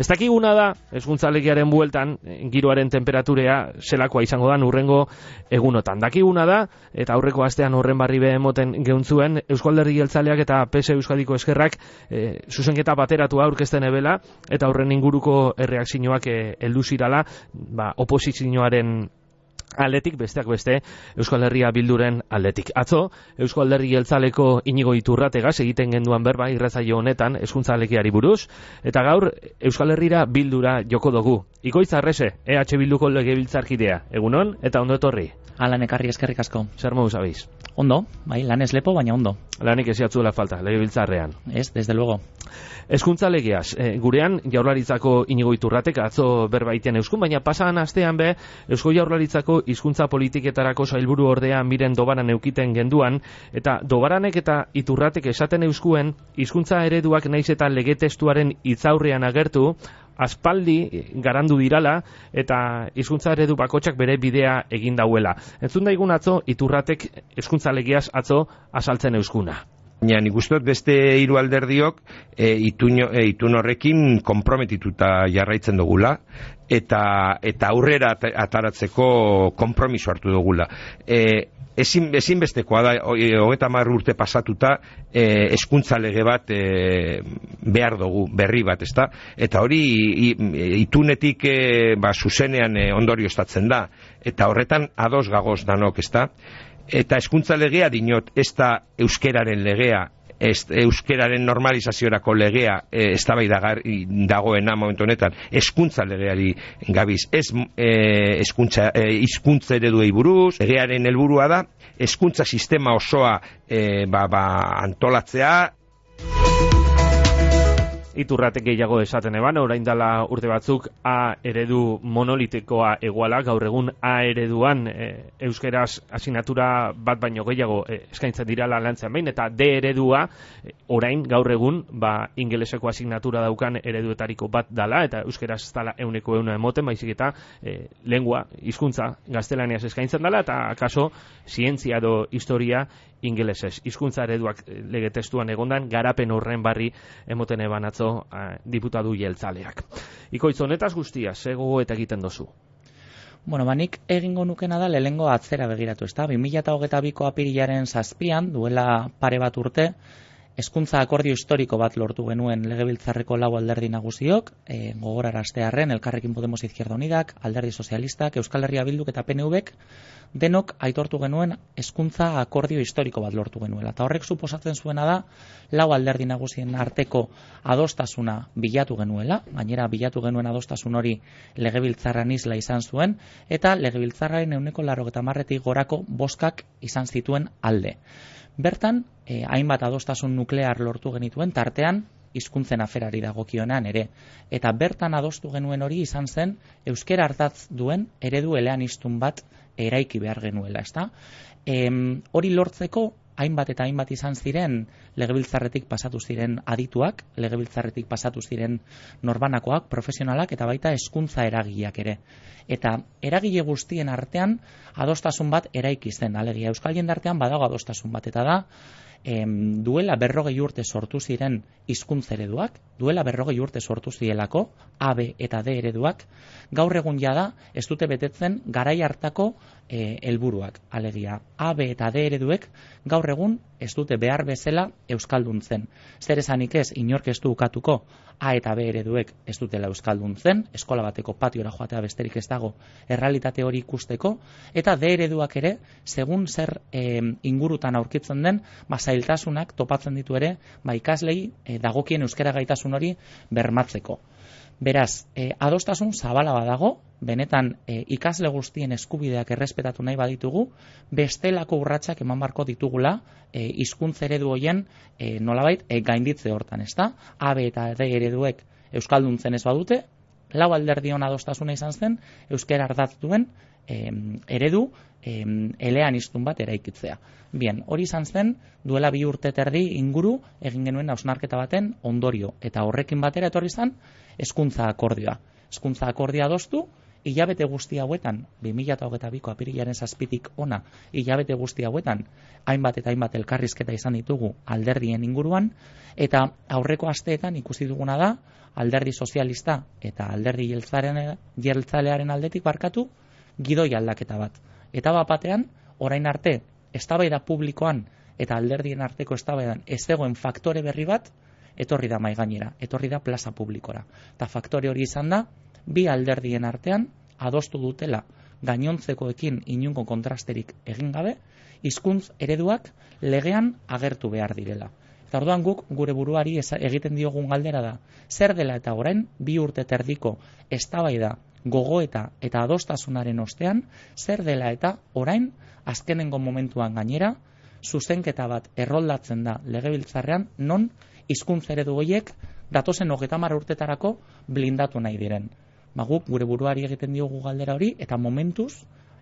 Ez dakiguna da, hezkuntza legearen bueltan, giroaren temperaturea zelakoa izango da hurrengo egunotan. Dakiguna da, eta aurreko astean horren barri behemoten geuntzuen, Eusko Alderdi Jeltzaleak eta PS Euskadiko Ezkerrak zuzenketa bateratua aurkezten ebela, eta horren inguruko erreakzioak heldu zirala, oposizioaren aldetik, besteak beste, Euskal Herria Bilduren aldetik. Atzo, Eusko Alderdi Jeltzaleko Inigo Iturrategaz egiten genduan berba irratsaio honetan hezkuntza legeari buruz, eta gaur Euskal Herrira Bildura joko dugu. Ikoitz Arrese, EH Bilduko legebiltzarkidea. Egunon, eta ondo etorri. Alan ekarri eskerrik asko. Zer moduz abiz? Ondo, bai, lan ez lepo, baina ondo. Lanik eziatzuela falta, legebiltzarrean. Ez, desde luego. Hezkuntza legeaz, gurean Jaurlaritzako Inigo Iturratek atzo berbaiten euskun, baina pasan astean be, Eusko Jaurlaritzako hizkuntza politiketarako sailburu ordea Miren Dobaran eukiten genduan, eta Dobaranek eta Iturratek esaten euskuen, hizkuntza ereduak naiz eta lege testuaren hitzaurrean agertu, aspaldi garandu dirala eta hizkuntza eredu bakotxak bere bidea egin dauela. Entzun daigun atzo Iturratek hezkuntza legeaz atzo azaltzen euskuna. Baina nik uste dut beste hiru alderdiok itun horrekin konprometituta jarraitzen dugula eta aurrera ataratzeko konpromiso hartu dugula. Ezinbestekoa da, 30 urte pasatuta, hezkuntza lege bat behar dugu, berri bat, ezta? Eta hori itunetik zuzenean ondorioztatzen da. Eta horretan ados gagoz danok, ezta? Eta hezkuntza legea dinot, ez da euskeraren legea, euskeraren normalizaziorako legea dagoena momentu honetan, hezkuntza legeari gabiz, ez hizkuntza ereduei buruz, legearen helburua da, hezkuntza sistema osoa antolatzea. Iturratek gehiago esaten eban, orain dela urte batzuk A eredu monolitikoa eguala, gaur egun A ereduan euskeraz asignatura bat baino gehiago eskaintzen dirala lantzean behin, eta D eredua orain gaur egun ingeleseko asignatura daukan ereduetariko bat dala, eta euskeraz ez dala 100% emoten, baizik eta lengua, hizkuntza gaztelaniaz eskaintzen dala, eta kaso zientzia edo historia ingelesez. Hizkuntza ereduak lege testuan egondan, garapen horren barri emoten eban atzo diputatu jeltzaleak. Ikoitz, honetaz guztia, ze gogoeta egiten dozu? Bueno, nik egingo nukena da lehengo atzera begiratu, ezta? 2022ko apirilaren 7 duela pare bat urte, hezkuntza akordio historiko bat lortu genuen legebiltzarreko 4 alderdi nagusiok, gogoraraztearren Elkarrekin Podemos Izquierda Unidak, Alderdi Sozialistak, Euskal Herria Bilduk eta PNVk, denok aitortu genuen hezkuntza akordio historiko bat lortu genuela. Eta horrek suposatzen zuena da 4 alderdi nagusien arteko adostasuna bilatu genuela, gainera bilatu genuen adostasun hori legebiltzarran isla izan zuen, eta legebiltzarraren 90%tik gorako bozkak izan zituen alde. Bertan, hainbat adostasun nuklear lortu genituen, tartean hizkuntzen aferari dagokionean ere. Eta bertan adostu genuen hori izan zen euskera ardatz duen eredu eleaniztun bat eraiki behar genuela, ezta? Hori lortzeko hainbat eta hainbat izan ziren legebiltzarretik pasatu ziren adituak, legebiltzarretik pasatu ziren norbanakoak, profesionalak eta baita hezkuntza eragileak ere. Eta eragile guztien artean adostasun bat eraiki zen, alegia euskal jendartean badago adostasun bat, eta da duela 40 urte sortu ziren hizkuntza ereduak, duela 40 urte sortu zielako A, B eta D ereduak, gaur egun jada ez dute betetzen garai hartako helburuak, alegia A, B eta D ereduek gaur egun ez dute behar bezala euskalduntzen. Zer esanik ez, inork ez du ukatuko A eta B ereduek ez dutela euskalduntzen, eskola bateko patiora joatea besterik ez dago errealitate hori ikusteko, eta D ereduak ere, segun zer ingurutan aurkitzen den, zailtasunak topatzen ditu ere, ikaslei dagokien euskara gaitasun hori bermatzeko. Beraz, adostasun zabala badago, benetan ikasle guztien eskubideak errespetatu nahi baditugu, bestelako urratsak eman barko ditugula hizkuntza eredu hoien nolabait gainditze hortan, ezta? A, B eta D ereduek euskalduntzen ez badute, 4 alderdion adostasuna izan zen euskara ardatz duen eredu eleaniztun bat eraikitzea. Bien, hori izan zen duela 2 urte eta erdi inguru egin genuen hausnarketa baten ondorio, eta horrekin batera etorri zen hezkuntza akordioa. Hezkuntza akordioa adostu hilabete guzti hauetan, 2022ko apirilaren 7tik ona, hilabete guzti hauetan, hainbat eta hainbat elkarrizketa izan ditugu alderdien inguruan, eta aurreko asteetan ikusi duguna da, alderdi sozialista eta alderdi jeltzalearen aldetik barkatu, gidoi aldaketa bat. Eta batean, orain arte, eztabaida publikoan eta alderdien arteko eztabaidan ez zegoen faktore berri bat, etorri da mahai gainera, etorri da plaza publikora. Eta faktore hori izan da, bi alderdien artean adostu dutela gainontzekoekin inungo kontrasterik egin gabe, hizkuntz ereduak legean agertu behar direla. Eta orduan guk gure buruari egiten diogun galdera da, zer dela eta orain 2 urte terdiko eztabaida, gogoeta eta adostasunaren ostean, zer dela eta orain azkenengo momentuan gainera, zuzenketa bat erroldatzen da legebiltzarrean non hizkuntza eredu horiek datozen 30 urtetarako blindatu nahi diren. Guk gure buruari egiten diogu galdera hori eta momentuz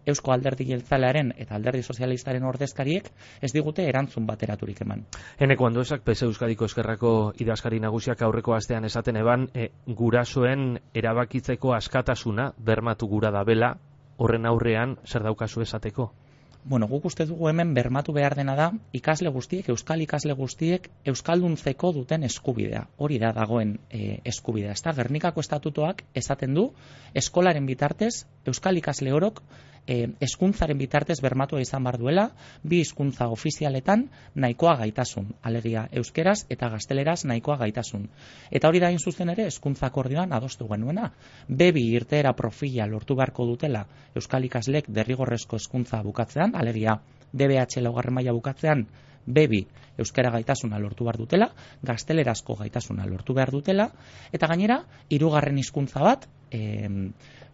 Eusko Alderdi Jeltzalearen eta Alderdi Sozialistaren ordezkariek ez digute erantzun bateraturik eman. Eneko Anduezak, PS Euskadiko Ezkerrako idazkari nagusiak aurreko astean esaten eban, gurasoen erabakitzeko askatasuna bermatu gura da bela, horren aurrean zer daukazu esateko? Guk uste dugu hemen bermatu behar dena da, ikasle guztiek, euskal ikasle guztiek, euskalduntzeko duten eskubidea. Hori da dagoen eskubidea. Gernikako estatutoak esaten du, eskolaren bitartez, euskal ikasle orok, hezkuntzaren bitartez bermatua izan bar duela, 2 hizkuntza ofizialetan nahikoa gaitasun, alegia euskeraz eta gazteleraz nahikoa gaitasun. Eta hori da hain zuzen ere hezkuntza akordioan adostu genuena. B2 irteera profila lortu beharko dutela euskal ikaslek derrigorrezko hezkuntza bukatzean, alegia DBH 4. maila bukatzean B2 euskara gaitasuna lortu behar dutela, gaztelerazko gaitasuna lortu behar dutela, eta gainera 3. hizkuntza bat,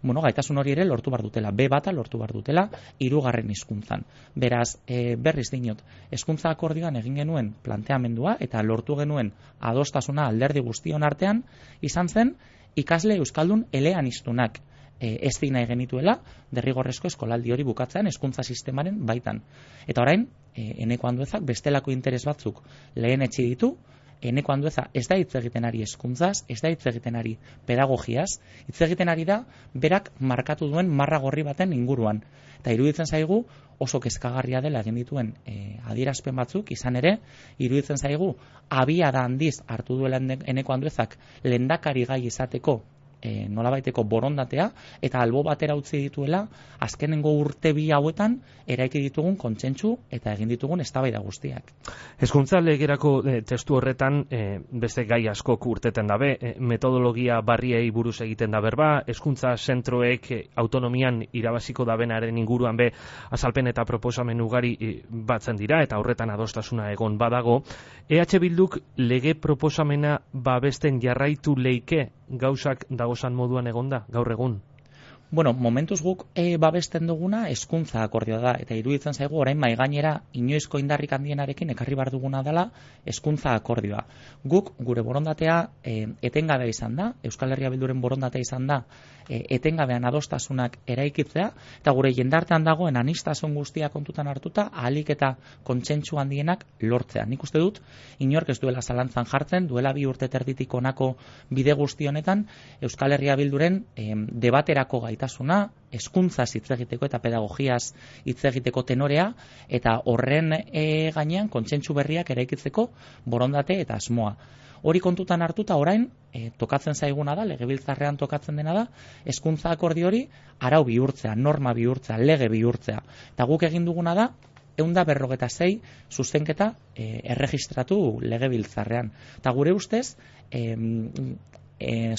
gaitasun hori ere lortu behar dutela, B1 lortu behar dutela 3. hizkuntzan. Beraz, berriz dinot, hezkuntza akordioan egin genuen planteamendua eta lortu genuen adostasuna alderdi guztion artean, izan zen ikasle euskaldun eleaniztunak ez nahi genituela derrigorrezko eskolaldi hori bukatzean hezkuntza sistemaren baitan. Eta orain, Eneko Anduezak bestelako interes batzuk lehen etxi ditu, Eneko Andueza ez da hitz egiten ari hezkuntzaz, ez da hitz egiten ari pedagogiaz, hitz egiten ari da berak markatu duen marra gorri baten inguruan. Eta iruditzen zaigu oso kezkagarria dela egin dituen adierazpen batzuk, izan ere, iruditzen zaigu abiada handiz hartu duela Eneko Anduezak lehendakari gai izateko nolabaiteko borondatea eta albo batera utzi dituela azkenengo urte 2 hauetan eraiki ditugun kontsentsu eta egin ditugun eztabaida guztiak. Hezkuntza legerako testu horretan beste gai askok urteten dabe, metodologia barriei buruz egiten da berba, hezkuntza zentroek autonomian irabaziko dabenaren inguruan be azalpen eta proposamen ugari batzen dira eta horretan adostasuna egon badago. EH Bilduk lege proposamena babesten jarraitu leike gauzak dagozan moduan egonda, gaur egun? Momentuz guk babesten duguna hezkuntza akordioa da, eta iruditzen zaigu orain mahai gainera inoizko indarrik handienarekin ekarri bar duguna dela hezkuntza akordioa. Guk gure borondatea etengabea izan da, Euskal Herria Bilduren borondatea izan da, etengabean adostasunak eraikitzea, eta gure jendartean dagoen aniztasun guztia kontutan hartuta, ahalik eta kontsentsu handienak lortzea. Nik uste dut, inork ez duela zalantzan jartzen, duela 2 urte terditik honako bide guzti honetan, Euskal Herria Bilduren debaterako gaitasuna, hezkuntzaz hitz egiteko eta pedagogiaz hitz egiteko tenorea, eta horren gainean kontsentsu berriak eraikitzeko borondate eta asmoa. Hori kontutan hartuta orain, tokatzen zaiguna da, legebiltzarrean tokatzen dena da, hezkuntza akordio hori arau bihurtzea, norma bihurtzea, lege bihurtzea. Eta guk egin duguna da, 156 zuzenketa erregistratu legebiltzarrean. Eta gure ustez,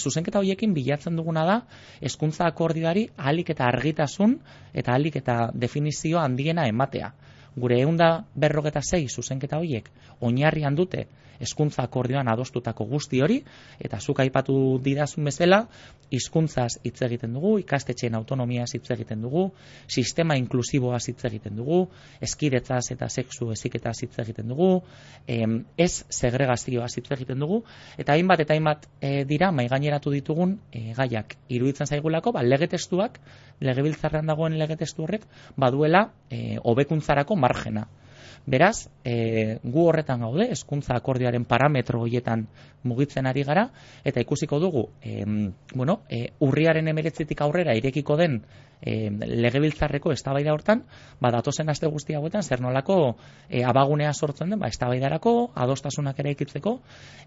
zuzenketa horiekin bilatzen duguna da hezkuntza akordioari ahalik eta argitasun eta ahalik eta definizio handiena ematea. Gure 156 zuzenketa horiek oinarrian dute hezkuntza akordioan adostutako guzti hori, eta zuk aipatu didazun bezala, hizkuntzaz hitz egiten dugu, ikastetxeen autonomiaz hitz egiten dugu, sistema inklusiboaz hitz egiten dugu, hezkidetzaz eta sexu heziketaz hitz egiten dugu, ez segregazioaz hitz egiten dugu, eta hainbat dira maigaineratu ditugun gaiak. Iruditzen zaigulako, lege testuak, legebiltzarrean dagoen lege testu horrek, baduela hobekuntzarako margena. Beraz, gu horretan gaude, hezkuntza akordioaren parametro horietan mugitzen ari gara, eta ikusiko dugu, urriaren 19tik aurrera irekiko den legebiltzarreko eztabaida hortan, datozen aste guzti hauetan zer nolako abagunea sortzen den, eztabaidarako, adostasunak eraikitzeko,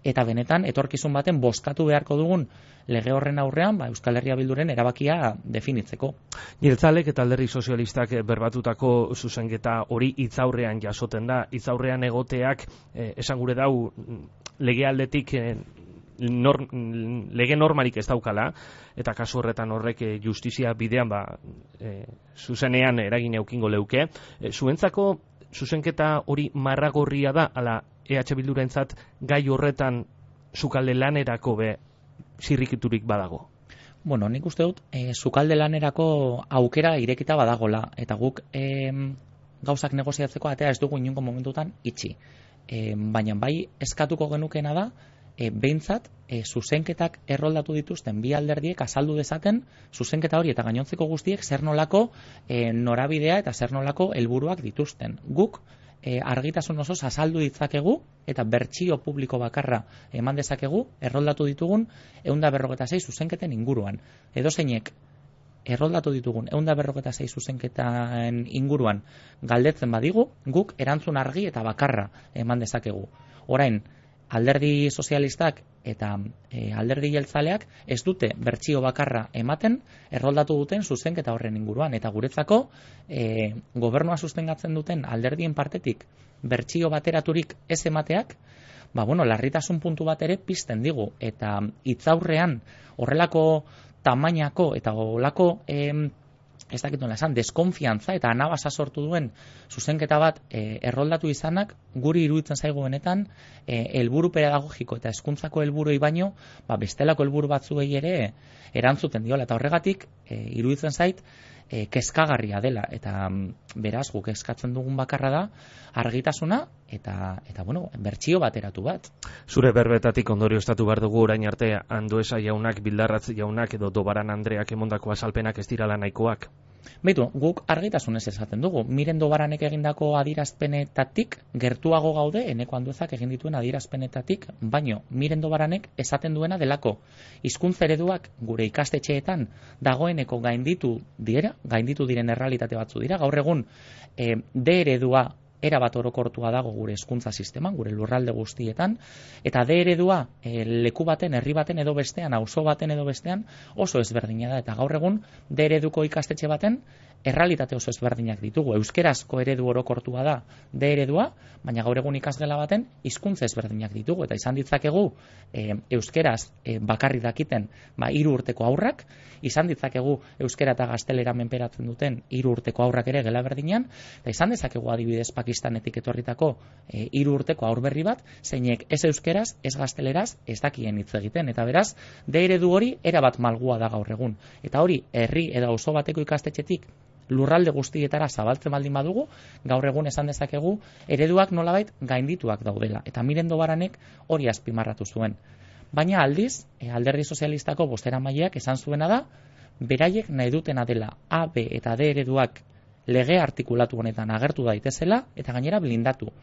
eta benetan etorkizun baten bozkatu beharko dugun lege horren aurrean, Euskal Herria Bilduren erabakia definitzeko. Jeltzalek eta Alderdi Sozialistak berbatutako zuzenketa hori hitzaurrean jasoten da. Hitzaurrean egoteak esan gure dau legealdetik lege normalik ez daukala, eta kasu horretan horrek justizia bidean zuzenean eragin eukingo leuke. Zuentzako zuzenketa hori marragorria da, ala EH Bildurentzat gai horretan sukalde lanerako zirrikiturik badago? Nik uste dut, sukalde lanerako aukera irekita badagola, eta guk gauzak negoziatzeko atea ez dugu inungo momentutan itxi. Baina bai eskatuko genukena da, behintzat, zuzenketak erroldatu dituzten bi alderdiek azaldu dezaten zuzenketa hori eta gainontzeko guztiek zer nolako norabidea eta zer nolako helburuak dituzten. Guk argitasun osoz azaldu ditzakegu eta bertsio publiko bakarra eman dezakegu erroldatu ditugun 156 zuzenketen inguruan. Edozeinek erroldatu ditugun 156 zuzenketen inguruan galdetzen badigu, guk erantzun argi eta bakarra eman dezakegu. Orain, Alderdi Sozialistak eta Alderdi Jeltzaleak ez dute bertsio bakarra ematen erroldatu duten zuzenketa horren inguruan, eta guretzako gobernua sustengatzen duten alderdien partetik bertsio bateraturik ez emateak, larritasun puntu bat ere pizten digu, eta hitzaurrean horrelako tamainako eta horrelako ez dakit nola esan, deskonfiantza eta anabasa sortu duen zuzenketa bat erroldatu izanak, guri iruditzen zaigu benetan helburu pedagogiko eta hezkuntzako helburuei baino, bestelako helburu batzuei ere erantzuten diola, eta horregatik iruditzen zait kezkagarria dela, eta beraz guk eskatzen dugun bakarra da argitasuna eta bertsio bateratu bat. Zure berbetatik ondorioztatu behar dugu orain arte Andueza jaunak, Bildarratz jaunak edo Dobaran Andreak emondako azalpenak ez dirala nahikoak? Guk argitasunez esaten dugu. Miren Dobaranek egindako adierazpenetatik gertuago gaude Eneko Anduezak egin dituen adierazpenetatik, baino Miren Dobaranek esaten duena delako hizkuntza ereduak gure ikastetxeetan dagoeneko gainditu diren errealitate batzu dira. Gaur egun D eredua erabat orokortua dago gure hezkuntza sisteman, gure lurralde guztietan, eta D eredua leku baten, herri baten edo bestean, auzo baten edo bestean oso ezberdina da, eta gaur egun D ereduko ikastetxe baten errealitate oso ezberdinak ditugu. Euskerazko eredu orokortua da D eredua, baina gaur egun ikasgela baten hizkuntza ezberdinak ditugu, eta izan ditzakegu euskeraz bakarrik dakiten 3 urteko haurrak, izan ditzakegu euskera eta gaztelera menperatzen duten 3 urteko haurrak ere gela berdinean, eta izan dezakegu adibidez Pakistanetik etorritako 3 urteko haur berri bat, zeinek ez euskeraz, ez gazteleraz, ez dakien hitz egiten, eta beraz, D eredu hori erabat malgua da gaur egun. Eta hori, herri edo auzo bateko ikastetxetik lurralde guztietara zabaltzen baldin badugu, gaur egun esan dezakegu ereduak nolabait gaindituak daudela, eta Miren Dobaranek hori azpimarratu zuen. Baina aldiz, Alderdi Sozialistako bozeramaileak esan zuena da, beraiek nahi dutena dela A, B eta D ereduak lege artikulatu honetan agertu daitezela eta gainera blindatu.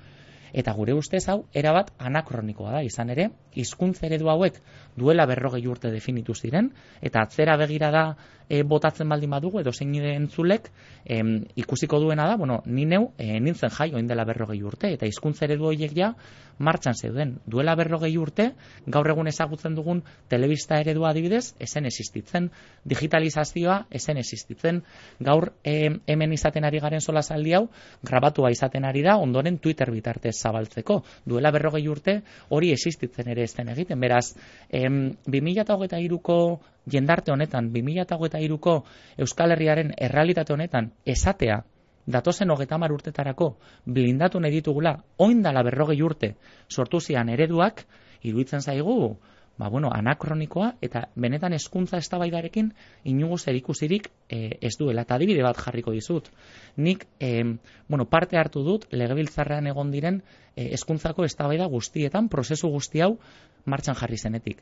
Eta gure ustez hau erabat anakronikoa da, izan ere, hizkuntza eredu hauek duela 40 urte definitu ziren, eta atzera begira da botatzen baldin badugu, edo zein nire entzulek ikusiko duena da, ni neu nintzen jai oin dela 40 urte, eta hizkuntza eredu horiek ja martxan zeuden. Duela 40 urte, gaur egun ezagutzen dugun telebista eredua adibidez, esen existitzen, digitalizazioa esen existitzen, gaur hemen izaten ari garen solasaldi hau, grabatua izaten ari da, ondoren Twitter bitartez zabaltzeko. Duela 40 urte hori existitzen ere ez den egiten. Beraz, 2023ko jendarte honetan, 2023ko Euskal Herriaren errealitate honetan esatea, datozen 30 urtetarako blindatu nahi ditugula, oindala 40 urte sortu zian ereduak, iruditzen zaigu, anakronikoa eta benetan hezkuntza eztabaidarekin inongo zerikusirik ez duela. Eta adibide bat jarriko dizut. Nik parte hartu dut legebiltzarrean egon diren hezkuntzako eztabaida guztietan, prozesu guzti hau martxan jarri zenetik.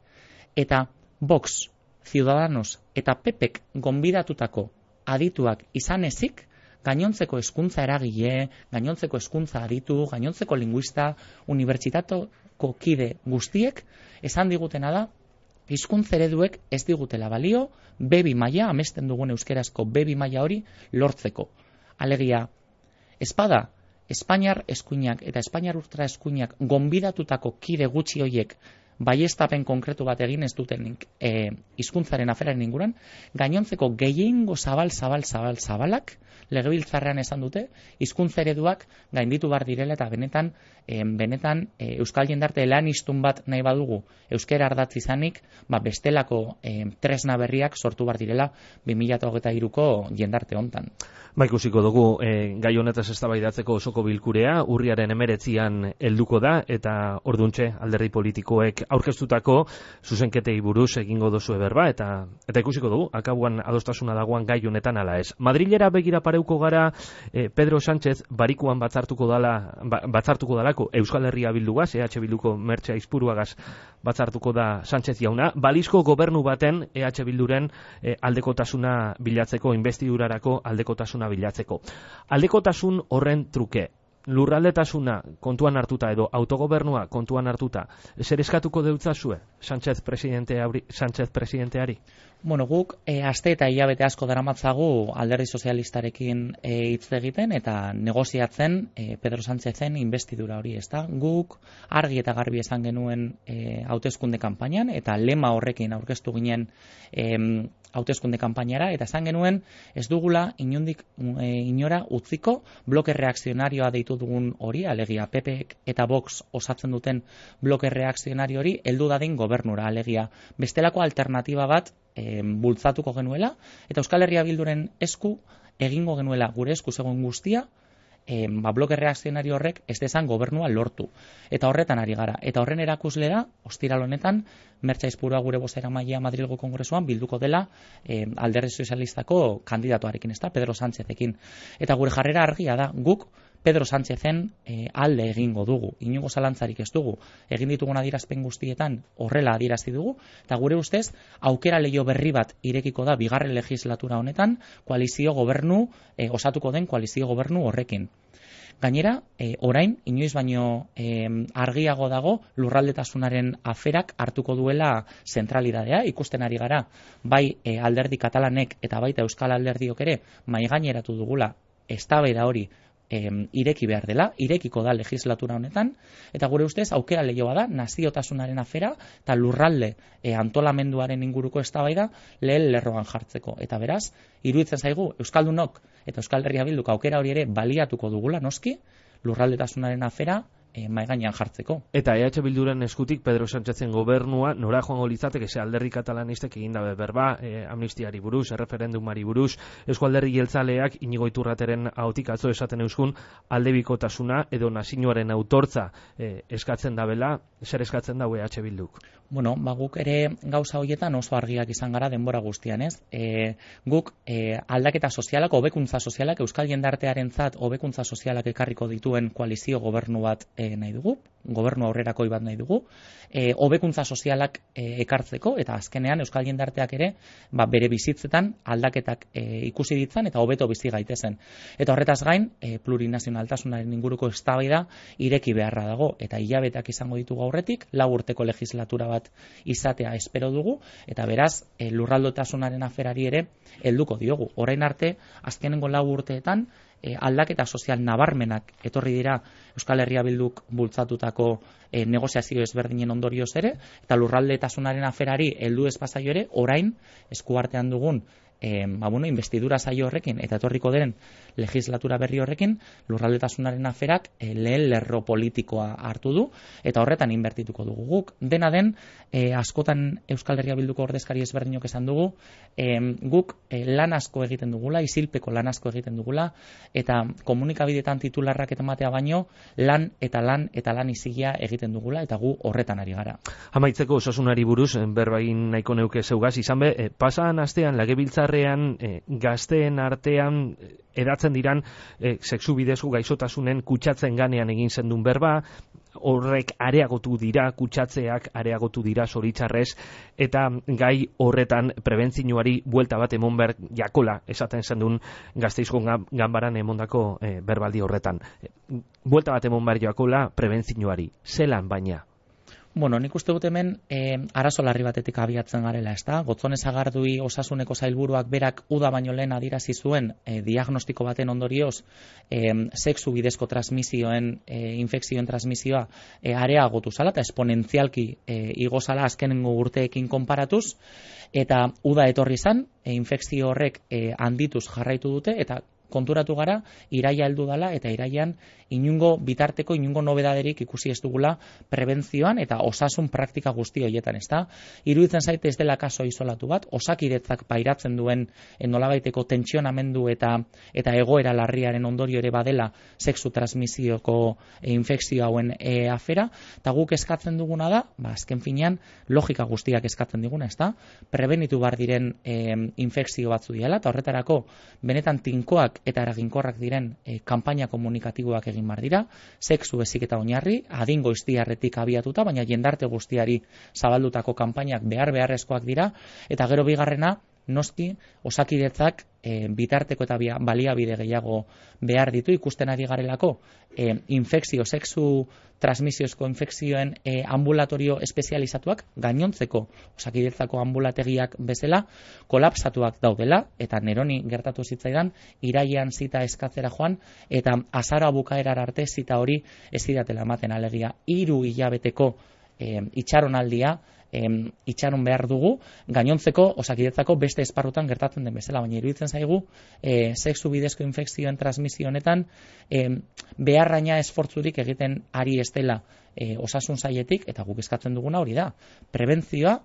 Eta Vox, Ciudadanos eta PPek gonbidatutako adituak izan ezik, gainontzeko hezkuntza eragile, gainontzeko hezkuntza aditu, gainontzeko linguista, unibertsitateko kide guztiek esan digutena da hizkuntza ereduek ez digutela balio B2 maila, amesten dugun euskerazko B2 maila hori lortzeko. Alegia, espada Espainiar eskuinak eta Espainiar ultra eskuinak gonbidatutako kide gutxi hoiek baiestapen konkretu bat egin ez dutenik hizkuntzaren aferaren inguruan, gainontzeko gehiengo zabalak legebiltzarrean esan dute hizkuntza ereduak gainditu bar direla eta benetan euskal jendarte lanistun bat nahi badugu euskera ardatz izanik, bestelako tresna berriak sortu bar direla 2023ko jendarte hontan. Ikusiko dugu gai honetaz eztabaidatzeko osoko bilkurea urriaren 19an helduko da eta orduntxe alderdi politikoek aurkeztutako zuzenketei buruz egingo duzue berba eta ikusiko dugu akabuan adostasuna dagoan gai honetan ala ez. Madrilera begira pareuko gara Pedro Sánchez barikuan batzartuko dalako Euskal Herria Bildugaz, EH Bilduko Mertxe Aizpuruagaz batzartuko da Sánchez jauna, balizko gobernu baten EH Bilduren aldekotasuna bilatzeko, investidurarako aldekotasuna bilatzeko. Aldekotasun horren truke, lurraldetasuna kontuan hartuta edo autogobernua kontuan hartuta, zer eskatuko deutzazue Sánchez presidenteari? Bueno, guk aste eta hilabete asko daramatzagu alderdi sozialistarekin hitz egiten eta negoziatzen Pedro Sánchezen investidura hori, ezta? Guk argi eta garbi esan genuen hauteskunde kanpainan eta lema horrekin aurkeztu ginen hauteskunde kanpainara eta esan genuen ez dugula inondik inora utziko bloke reakzionarioa deitu dugun hori, alegia PP eta Vox osatzen duten bloke reakzionario hori heldu dadin gobernura, alegia bestelako alternatiba bat bultzatuko genuela eta Euskal Herria Bilduren esku egingo genuela gure esku zegoen guztia bloke reakzionario horrek ez dezan gobernua lortu. Eta horretan ari gara. Eta horren erakusle da, ostiral honetan, Mertxe Aizpurua gure bozeramailea Madrilgo Kongresuan bilduko dela alderdi sozialistako kandidatuarekin, ezta, Pedro Sánchezekin. Eta gure jarrera argia da, guk Pedro Sánchezen alde egingo dugu. Inongo zalantzarik ez dugu. Egin ditugun adierazpen guztietan horrela adierazi dugu, eta gure ustez aukera leiho berri bat irekiko da bigarren legislatura honetan koalizio gobernu, osatuko den koalizio gobernu horrekin. Gainera, orain, inoiz baino argiago dago lurraldetasunaren aferak hartuko duela zentralidadea, ikusten ari gara, bai alderdi katalanek eta baita euskal alderdiok ere maigaineratu dugula eztabaida hori ireki behar dela, irekiko da legislatura honetan, eta gure ustez aukera leihoa da naziotasunaren afera eta lurralde antolamenduaren inguruko eztabaida lehen lerroan jartzeko. Eta beraz, iruditzen zaigu Euskaldunok eta Euskal Herria Bilduk aukera hori ere baliatuko dugula noski, lurraldetasunaren afera mahai gainean jartzeko. Eta EH Bilduren eskutik Pedro Sánchezen gobernua nora joango litzateke ze alderdi katalanistek egin dabe berba, amnistiari buruz, erreferendumari buruz, Eusko Alderdi Jeltzaleak Inigo Iturrateren ahotik atzo esaten euskun aldebikotasuna edo nazioaren autortza eskatzen dabela, zer eskatzen dago EH Bilduk? Bueno, guk ere gauza horietan oso argiak izan gara denbora guztian, ez? Guk aldaketa sozialak, hobekuntza sozialak, Euskal jendartearentzat hobekuntza sozialak ekarriko dituen koalizio gobernu bat nahi dugu, gobernu aurrerakoi bat nahi dugu, hobekuntza sozialak ekartzeko eta azkenean Euskal jendarteak ere bere bizitzetan aldaketak ikusi ditzan eta hobeto bizi gaitezen. Eta horretaz gain, plurinazionaltasunaren inguruko eztabaida ireki beharra dago eta hilabeteak izango ditugu aurretik, 4 urteko legislatura bat izatea espero dugu eta beraz lurraldotasunaren aferari ere helduko diogu. Orain arte, azkenengo 4 urteetan aldaketa sozial nabarmenak etorri dira Euskal Herria Bilduk bultzatutako negoziazio ezberdinen ondorioz ere, eta lurraldetasunaren aferari heldu ez bazaio ere, orain eskuartean dugun investidura saio horrekin eta etorriko den legislatura berri horrekin lurraldetasunaren aferak lehen lerro politikoa hartu du eta horretan inbertituko dugu guk. Dena den, askotan Euskal Herria Bilduko ordezkari ezberdinok esan dugu, guk lan asko egiten dugula, isilpeko lan asko egiten dugula eta komunikabideetan titularrak ematea baino lan eta lan izigia egiten dugula eta gu horretan ari gara. Amaitzeko osasunari buruz, berbain nahiko neuke zeugaz, izan be, pasan astean legebiltzarrean gazteen artean edatzen diran sexu bidezko gaixotasunen kutsatzen ganean egin zendun berba, horrek areagotu dira, kutsatzeak areagotu dira zoritxarrez, eta gai horretan prebentzioari buelta bat emon behar jakola, esaten zendun Gasteizko ganbaran emondako berbaldi horretan. Buelta bat emon behar jakola prebentzioari, zelan baina? Bueno, nik uste dut hemen arazo larri batetik abiatzen garela, ezta? Gotzone Sagardui Osasuneko sailburuak berak uda baino lehen adierazi zuen diagnostiko baten ondorioz sexu bidezko transmisioen infekzioen transmisioa areagotu zala eta esponentzialki igo zala azkenengo urteekin konparatuz, eta uda etorri izan, infekzio horrek handituz jarraitu dute, eta konturatu gara, iraia heldu dela, eta iraian inungo bitarteko, inungo nobedaderik ikusi ez dugula prebentzioan eta osasun praktika guzti horietan, ezta? Iruditzen zaite ez dela kaso isolatu bat, Osakidetzak pairatzen duen nolabaiteko tentsionamendu eta egoera larriaren ondorio ere badela sexu transmisioko infekzio hauen afera, eta guk eskatzen duguna da, azken finean, logika guztiak eskatzen diguna, ezta? Prebenitu bar diren infekzio batzu diela, eta horretarako benetan tinkoak eta eraginkorrak diren kanpaina komunikatiboak egin bar dira, sexu heziketa oinarri, adin goiztiarretik abiatuta, baina jendarte guztiari zabaldutako kanpainak beharrezkoak dira, eta gero bigarrena, noski, Osakidetzak bitarteko eta baliabide gehiago behar ditu, ikusten ari garelako infekzio, sexu transmisiozko infekzioen ambulatorio espezializatuak gainontzeko Osakidetzako ambulategiak bezala kolapsatuak daudela, eta neroni gertatu zitzaidan irailean zita eskatzera joan, eta azara bukaerar arte zita hori ez zidatela ematen, alegia 3 hilabeteko itxaronaldia itxaron behar dugu, gainontzeko Osakidetzako beste esparrutan gertatzen den bezala, baina iruditzen zaigu sexu bidezko infekzioen transmisio honetan beharraina esfortzurik egiten ari ez dela osasun sailetik, eta guk eskatzen duguna hori da. Prebentzioa,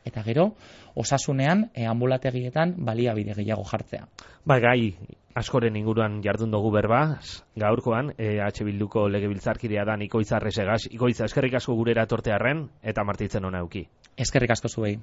eta gero osasunean ambulategietan baliabide gehiago jartzea. Gai askoren inguruan jardun dugu berba, gaurkoan, H Bilduko legebiltzarkidea da Ikoitz Arresegaz. Ikoitz, eskerrik asko gurera tortearren, eta martitzen ona euki. Eskerrik asko zuei.